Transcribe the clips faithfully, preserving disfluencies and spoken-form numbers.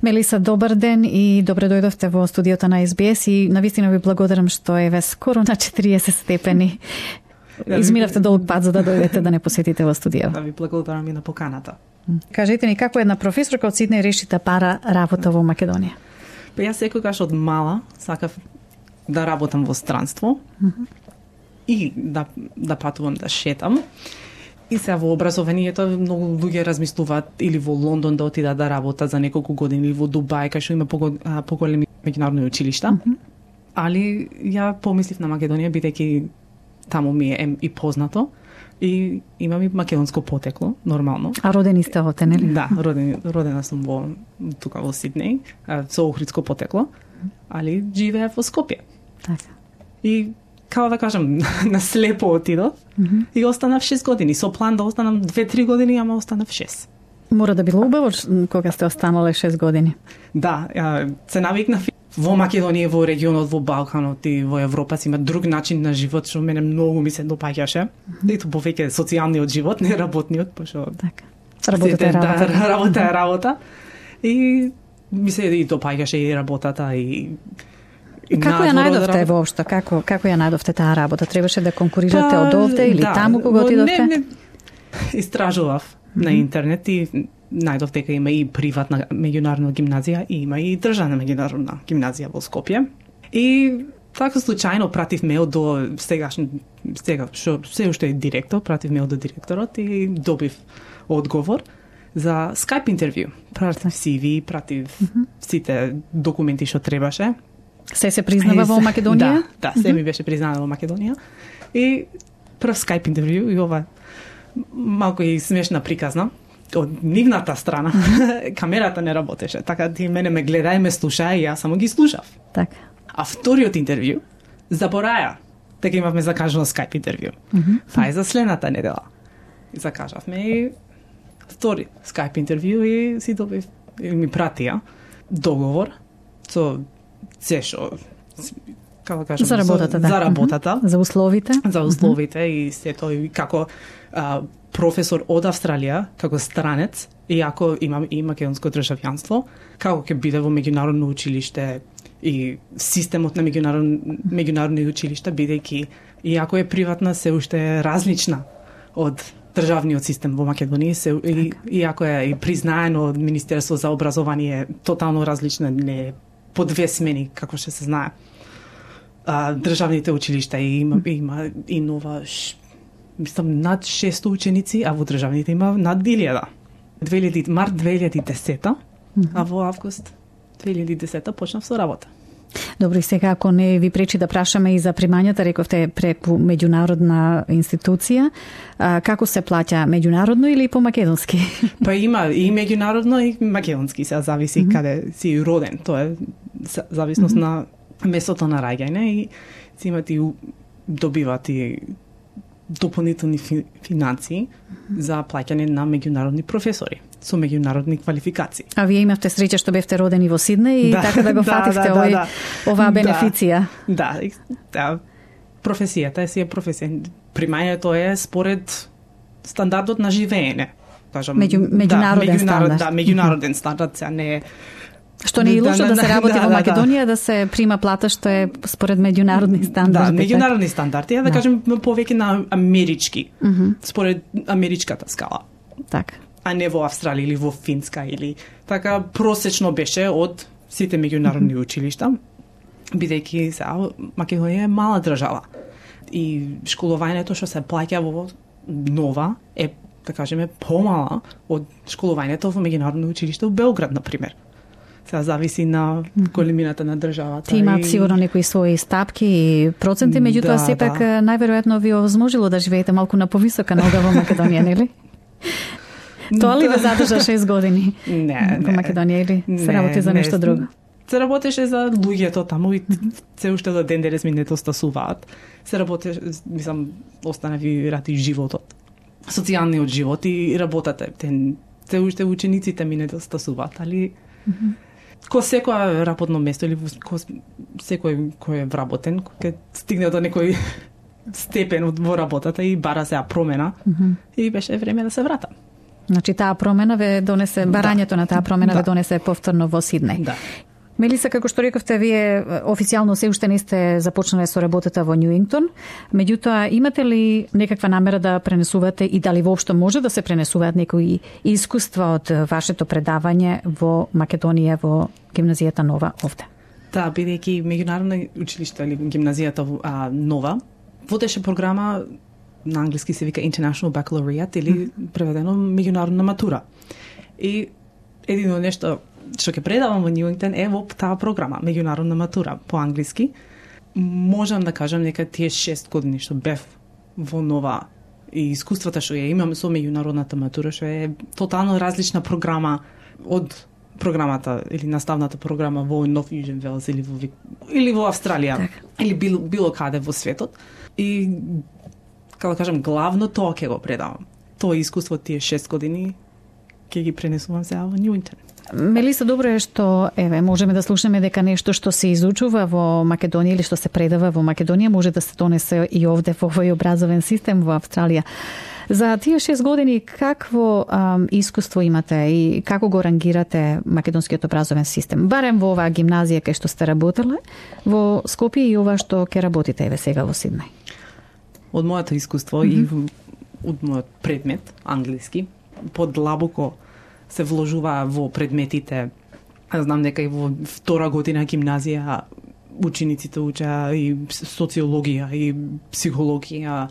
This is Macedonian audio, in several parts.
Мелиса, добар ден и добре дојдовте во студиото на Ес Би Ес и навистина ви благодарам што е ве скоро на четириесет степени. Изминавте долг пат за да дојдете да не посетите во студио. Да ви благодарам и на поканата. Кажете ни како една професорка од Сиднеј реши да пара работа во Македонија? Па јас секогаш од мала сакав да работам во странство mm -hmm. и да да патувам, да шетам. И сега во образованието многу луѓе размислуваат или во Лондон да отидат да работат за неколку години или во Дубај кај што има поголеми меѓународни училишта. Mm -hmm. Али ја помислив на Македонија бидејќи таму ми е и познато и имам и македонско потекло, нормално. А родени сте овде, нели? Да, родени, родена сум во тука во Сиднеј, со охридско потекло, али живеев во Скопје. Така. И како да кажам, на слепо отидов mm -hmm. и останав шест години. Со план да останам две-три години, ама останав шест. Мора да било убаво кога сте останале шест години. Да, се навикнав во Македонија, во регионот, во Балканот и во Европа си има друг начин на живот што мене многу ми се допаѓаше. Mm -hmm. И тоа повеќе социјалниот живот, не работниот, пошто така. Работата е работа. Да, работа е работа. И ми се и допаѓаше и работата и И како ја најдовте воопшто? Како како ја најдовте таа работа? Требаше да конкурирате па, од овде или да, таму кога отидовте? Не, не. Истражував mm -hmm. на интернет и најдов дека има и приватна меѓународна гимназија и има и државна меѓународна гимназија во Скопје. И така случајно пратив мејл до сегашен сега што се уште е директор, пратив мејл до директорот и добив одговор за Skype интервју. Пратив Си Ви, пратив mm -hmm. сите документи што требаше. Се се признава во Македонија? Да, да, се ми беше признано во Македонија. И прв Skype интервју и ова малку и смешна приказна од нивната страна. Камерата не работеше, така ти мене ме гледа и ме слуша и јас само ги слушав. Така. А вториот интервју забораја дека имавме закажано Skype интервју. Mm -hmm. Па е за следната недела. И закажавме и втори Skype интервју и си добив и ми пратија договор со се што како да кажам, за работата, да. За работата, mm -hmm. за условите, за условите mm -hmm. и се тоа и како а, професор од Австралија, како странец, иако имам и македонско државјанство, како ќе биде во меѓународно училиште и системот на меѓународни меѓународни училишта, бидејќи иако е приватна, се уште е различна од државниот систем во Македонија, се и, иако е и признаено од Министерство за образование, тотално различна, не по две смени, како што се знае. А, државните училишта и има, има и нова, мислам, над шест ученици, а во државните има над илјада. март две илјади и десета, mm -hmm. а во август две илјади и десета почнав со работа. Добро, и сега ако не ви пречи да прашаме и за примањата, рековте преку меѓународна институција, а, како се плаќа, меѓународно или по македонски? Па има и меѓународно и македонски, се зависи mm -hmm. каде си роден, тоа е зависност mm -hmm. на местото на раѓање и си имате и добивате и дополнителни фи, финансии mm -hmm. за плаќање на меѓународни професори со меѓународни квалификации. А вие имавте среќа што бевте родени во Сиднеј и да, така да го фативте да, да, овој, да, оваа бенефиција. Да, да, да, професијата е си е професија. Примањето е според стандардот на живеење. Кажам, Меѓу, меѓународен да, стандард. Да, меѓународен стандард, се не е. Што не е лошо да, да, да се работи да, во Македонија, да, да. да се прима плата што е според меѓународни стандарди. Да, меѓународни стандарди, да, да кажем повеќе на амерички, mm -hmm. според америчката скала. Така. А не во Австралија или во Финска или така просечно беше од сите меѓународни mm -hmm. училишта, бидејќи сега Македонија е мала држава и школувањето што се плаќа во нова е, да кажеме, помала од школувањето во меѓународно училиште во Белград, на пример. Сега зависи на големината на државата. Ти имаат и... сигурно некои своји стапки и проценти, меѓутоа да, сепак да. најверојатно ви овозможило да живеете малку на повисока нога во Македонија, нели? Тоа ли ве задржа шест години не, во Македонија или се работи за нешто друго? Се работеше за луѓето таму и се уште до ден денес ми недостасуваат. Се работеше, мислам, останави ради животот. Социјалниот живот и работата. Се уште учениците ми недостасуваат, али mm -hmm. ко секој работно место или ко секој кој е вработен, кој стигне до некој степен во работата и бара се промена, mm -hmm. и беше време да се вратам. Значи таа промена ве донесе, барањето да. на таа промена да. ве донесе повторно во Сиднеј. Да. Мелиса, како што рековте, вие официјално се уште не сте започнале со работата во Ньюингтон, меѓутоа имате ли некаква намера да пренесувате и дали воопшто може да се пренесуваат некои искуства од вашето предавање во Македонија, во гимназијата Нова овде? Да, бидејќи меѓународно училиште или гимназијата а, Нова водеше програма на англиски се вика International Baccalaureate или преведено меѓународна матура. И едино нешто што ќе предавам во Ньюингтон е во таа програма, меѓународна матура по англиски. Можам да кажам дека тие шест години што бев во Нова и искуствата што ја имам со меѓународната матура, што е тотално различна програма од програмата или наставната програма во Нов Южен Велс или во или во Австралија так. или било, било каде во светот. И како да кажам, главно тоа ќе го предавам. Тоа искуство тие шест години ќе ги пренесувам сега во Ньюингтон. Мелиса, добро е што еве можеме да слушнеме дека нешто што се изучува во Македонија или што се предава во Македонија може да се донесе и овде во овој образовен систем во Австралија. За тие шест години какво ам, искуство имате и како го рангирате македонскиот образовен систем? Барем во оваа гимназија кај што сте работеле, во Скопје и ова што ќе работите еве сега во Сиднеј. Од моето искуство mm-hmm. и од мојот предмет англиски подлабоко се вложува во предметите. Аз знам дека и во втора година гимназија учениците учеа и социологија и психологија.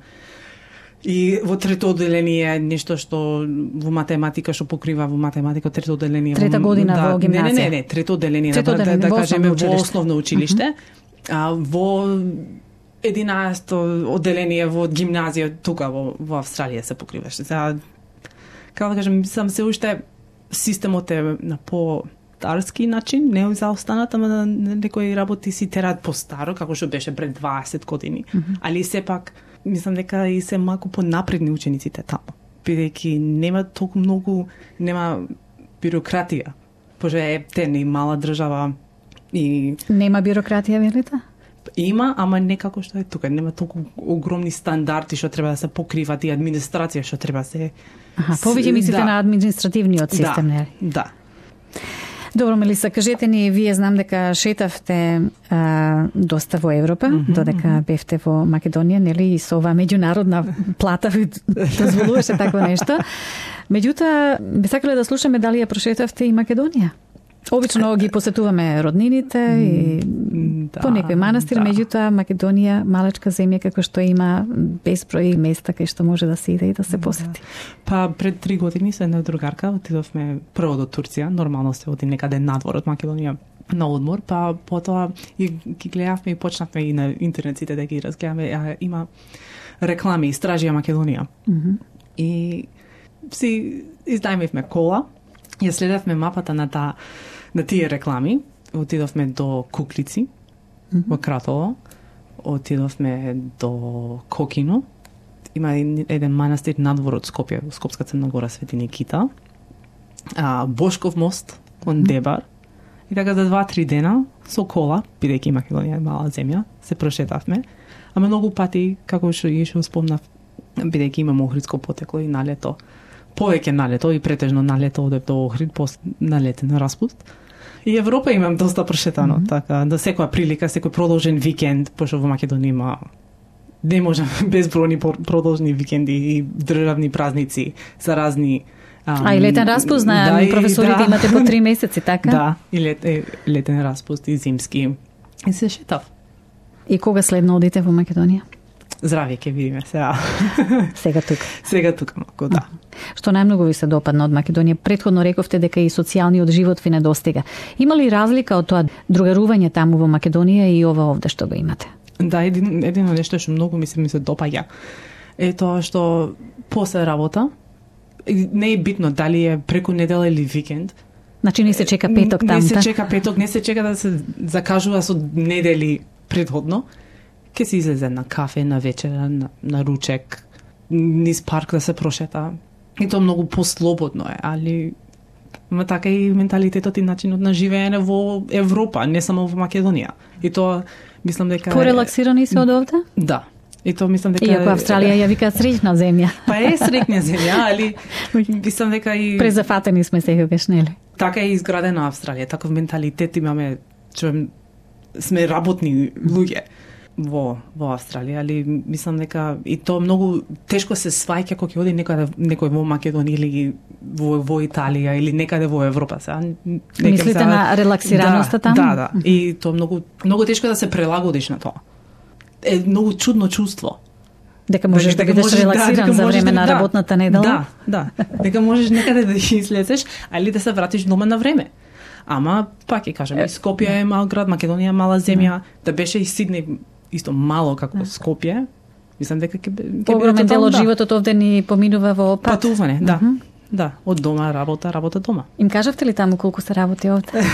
И во трето одделение нешто што во математика што покрива во математика трето одделение. Трета година да, во гимназија. Не, не, не, не трето одделение, трето да, одделение, да, да кажеме во основно училиште. Mm-hmm. А во единаесто одделение во гимназија тука во, во Австралија се покриваше. За како да кажам, сам се уште системот е на по-старски начин, не заостанат, ама на некои работи си терат по-старо, како што беше пред дваесет години. Mm-hmm. Али сепак, мислам дека и се малку понапредни учениците таму. Бидејќи нема толку многу, нема бюрократија. Поже е тен и мала држава и... Нема бюрократија, велите? Има, ама не како што е тука. Нема толку огромни стандарди што треба да се покриват и администрација што треба да се... Аха, повеќе мислите да. на административниот систем, да, нели? Да. Добро, Мелиса, кажете ни, вие знам дека шетавте а, доста во Европа, mm-hmm. додека бевте во Македонија, нели, и со оваа меѓународна плата ви дозволуваше такво нешто. Меѓутоа, би сакале да слушаме дали ја прошетавте и Македонија. Обично ги посетуваме роднините и да, по некој манастир, да. Меѓутоа Македонија, малечка земја како што има безброј места кај што може да се иде и да се посети. Да. Па пред три години со една другарка отидовме прво до Турција, нормално се оди некаде надвор од Македонија на одмор, па потоа и ги гледавме и почнавме и на интернет сите да ги разгледаме, а, има реклами Истражија Македонија. Mm-hmm. И си изнајмивме кола, ја следевме мапата на таа на тие реклами, отидовме до Куклици, mm-hmm. во Кратово, отидовме до Кокино, има еден манастир надвор од Скопје, во Скопска Црна Гора, Свети Никита, а, Бошков мост, кон Дебар, mm-hmm. и така за два-три дена, со кола, бидејќи Македонија е мала земја, се прошетавме, ама многу пати, како што и што спомнав, бидејќи имам охридско потекло и на лето, повеќе на лето и претежно на лето одев до Охрид, после на летен распуст. И Европа имам доста прошетано, mm-hmm. така, да секоја прилика, секој продолжен викенд, пошто во Македонија има не можам безбројни продолжни викенди и државни празници за разни ам, А и летен распуст, знаем, да, професорите да. Имате по три месеци, така? Да, и лет, е, летен распуст и зимски. И се шетав. И кога следно одите во Македонија? Здравје, ќе видиме сега. Сега тука. Сега тука, малку, да. Што најмногу ви се допадна од Македонија? Предходно рековте дека и социјалниот живот ви недостига. Има ли разлика од тоа другарување таму во Македонија и ова овде што го имате? Да, един, едино нешто што многу ми се ми се допаѓа е тоа што после работа не е битно дали е преку недела или викенд. Значи не се чека петок таму. Не се чека петок, не се чека да се закажува со недели предходно. Ке се излезе на кафе, на вечера, на, на ручек, низ парк да се прошета. И тоа многу послободно е, али ма така и менталитетот и начинот на живеење во Европа, не само во Македонија. И тоа мислам дека порелаксирани се од овде? Да. И тоа мислам дека Иако Австралија ја вика среќна земја. Па е среќна земја, али мислам дека и презафатени сме секогаш, нели? Така е изградена Австралија, таков менталитет имаме, што сме работни луѓе во во Австралија, али мислам дека и тоа многу тешко се сваќа кога ќе оди некаде некој во Македонија или во во Италија или некаде во Европа. Сега мислите сега на релаксираноста да, таму? Да, да. И тоа многу многу тешко да се прилагодиш на тоа. Е многу чудно чувство. Дека можеш дека, да бидеш релаксиран да, за време на да, работната недела? Да, да. Дека можеш некаде да излезеш, али да се вратиш дома на време. Ама, пак ќе кажам, и Скопје е мал град, Македонија е мала земја, да беше и Сиднеј исто мало како Скопје. Мислам дека ќе ќе огромен дел од да. животот овде ни поминува во пат. Патување, да. Uh -huh. Да, од дома работа, работа дома. Им кажавте ли таму колку се работи овде?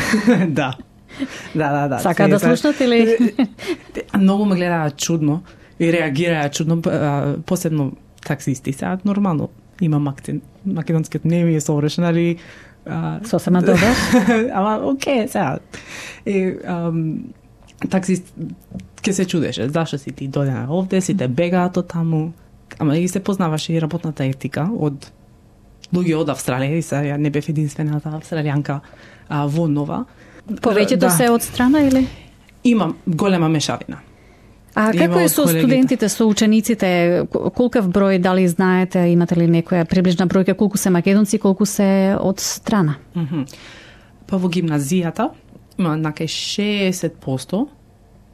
Да. Да, да, да. Сака да слушнат или? Многу ме гледаат чудно и реагираат чудно, посебно таксисти. Сега нормално имам акцент. Македонскиот не ми е совршен, али сосема добар. Ама окей, сега. И ам, таксист ке се чудеше, зашто си ти дојдена овде, сите бегаат од таму. Ама и се познаваше и работната етика од луѓе од Австралија, и сега не бев единствената австралијанка а, во Нова. Повеќето да. се од страна или? Има голема мешавина. А како е со студентите, со учениците? Колкав број, дали знаете, имате ли некоја приближна бројка, колку се македонци, колку се од страна? Mm -hmm. Па во гимназијата има накај шеесет проценти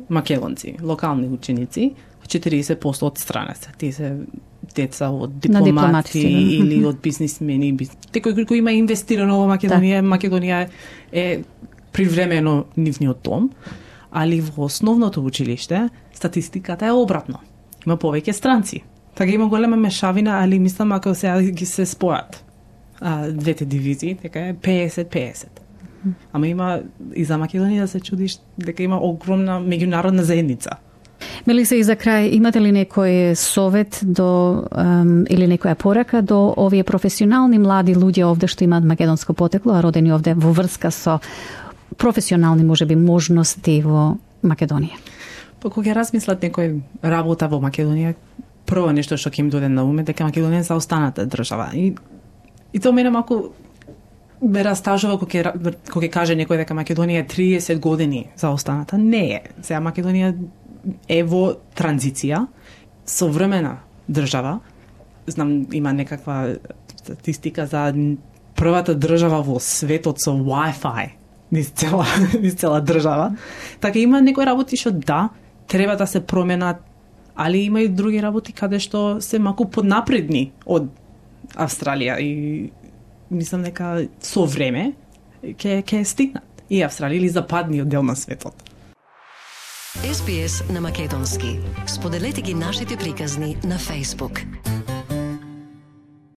македонци, локални ученици, четириесет проценти од страна се. Тие се деца од дипломати или од бизнисмени, кој кој има инвестирано во Македонија, да. Македонија е привремено нивниот дом, али во основното училиште статистиката е обратно. Има повеќе странци. Така има голема мешавина, али мислам ако сега ги се спојат а, двете дивизии, така е петдесет петдесет. Ама има и за Македонија да се чудиш дека има огромна меѓународна заедница. Мелиса, и за крај, имате ли некој совет до um, или некоја порака до овие професионални млади луѓе овде што имаат македонско потекло, а родени овде во врска со професионални можеби можности во Македонија? Па кога размислат некој работа во Македонија, прво нешто што ќе им дојде на уме дека Македонија е заостаната држава. И и тоа мене малку ме растажува кога кога каже некој дека Македонија е триесет години заостаната. Не е. Сега Македонија е во транзиција, современа држава. Знам, има некаква статистика за првата држава во светот со Wi-Fi низ цела, низ цела држава. Така има некои работи што да, треба да се променат, али има и други работи каде што се малку поднапредни од Австралија и мислам дека со време ќе ќе стигнат и Австралија или западниот дел на светот. Ес Би Ес на македонски. Споделете ги нашите приказни на Facebook.